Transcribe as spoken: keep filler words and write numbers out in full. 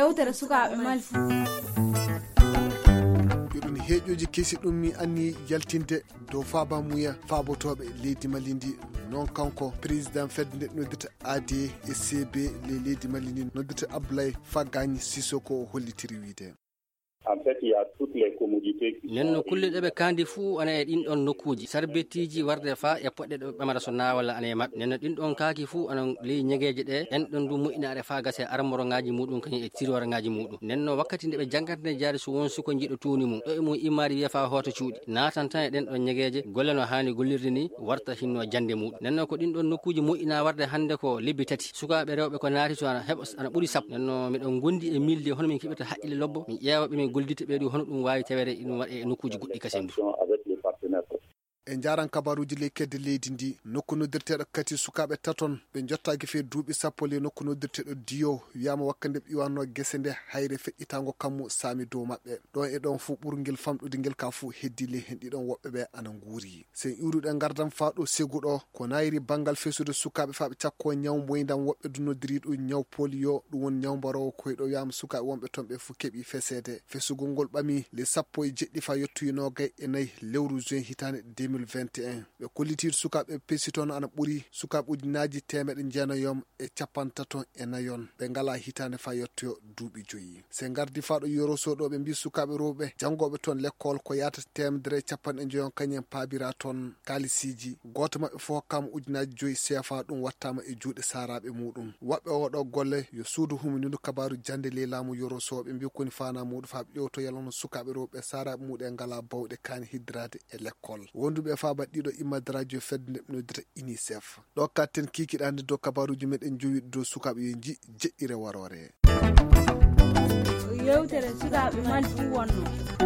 Yewtere sukaaɓe Mali fuu. Yo ɗum heeƴooji kesi ɗum mi anni yaltinde dow faabamuya faabotooɓe leydi Mali ndi. Noon kanko président fedde nde noddirta A D E C B le leydi Mali ndi noddirta Ablaye Fagani Sissoko o hollitiri wiide. En fait, il y a toutes les commodités qui Nden no sont kulle ɗe ɓe kaandi fuu ana e ɗin ɗon nokkuuji, sarbeetiiji warde faa e poɗɗe ɗo ɓamata so naawala ana e maɓɓe. Nden no ɗin ɗon kaaki fuu ana ley ñegeeje ɗe, en ɗon du moƴƴinaare faa gasa e armorongaaji muuɗum kañum e tiroorangaaji muuɗum. Nden no wakkati nde ɓe janngata nde jaari so won suko jiiɗo tuuni mum, ɗo e mum immaade wiya faa hoota cuuɗi, naatan tan e ɗen ɗon ñegeeje, golle no haani gollirde ni, warta hinno jannde muuɗum. Nden no ko ɗin ɗon nokkuuji moƴƴinaa warde hannde ko lebbi tati. Sukaaɓe rewɓe ko naati to ana heɓa, ana ɓuri sappo. Nden no miɗo gondi e milde hono min keɓirta haqqille lobbo, min ƴeewa ɓe min gollidta ɓe du hono ɗum waawi tawede ɗum waɗe e nokkuuji goɗɗi kasen du. Avec les partenaires. E njaaran kabaruuji ley kedde leydi ndi, nokku noddirteeɗo kati sukaaɓe taton ɓe njottaaki fee duuɓi sappo ley nokku noddirteeɗo Diyo, wiyaama wakkati nde ɓe iwanno gese nde, hayre feƴƴitaango kammu saami dow maɓɓe. Ɗon e ɗon fuu ɓurngel famɗude ngel ka fuu heddi ley hen ɗiɗon woɓɓe ɓe ana nguuri. Sen iwruɗen ngardan faa ɗo Segu ɗo, ko nayri banngal fesude sukaaɓe faa ɓe cakkoo ñaw mboyndam woɓɓe du noddiri ɗum ñaw polio, ɗum woni ñaw mbaroowo koyɗo wiyaama sukaaɓe wonɓe toon ɓe fuu keɓi feseede. Fesugol ngol ɓami le sappo e jeɗɗi faa yottoyi noogay e nayi lewru juin hitaande deux mille vingt et un. Ɓe kollitii sukaaɓe pesi toon ana ɓuri sukaaɓe ujunaaji teemeɗe jeenayon e capantato e nayon ɓe ngalaa hitaande faa yottoyo duuɓi joyi. Se ngardi faa ɗo Yoro Sow ɗo ɓe mbii sukaaɓe rewɓe janngooɓe toon lekkool ko yaata teemedere e capanɗe njoyon kañum en paabira toon kaalisiiji. Gooto maɓɓe fof hokkaama ujunaaji joyi seefa ɗum wattaama e juuɗe saaraaɓe muuɗum. Waɗɓe oo ɗoo golle yo suudu humindu kabaaru jannde ley laamu Yoro Sow ɓe mbii koni faanaa muuɗum faa ɓe ƴeewto yalla hono sukaaɓe rewɓe saaraaɓe muuɗum en ngalaa bawɗe kaani hiddiraade e lekkool. Wonduɓe e faa baɗɗiiɗo immaade radio fedde nde ɓe noddita UNICEF. Ɗo katten kiikiɗaande dow kabaaruuji meɗen jowi dow sukaaɓe yo nji jeɗɗire waroore. Yewtere sukaaɓe Mali fuu wonno.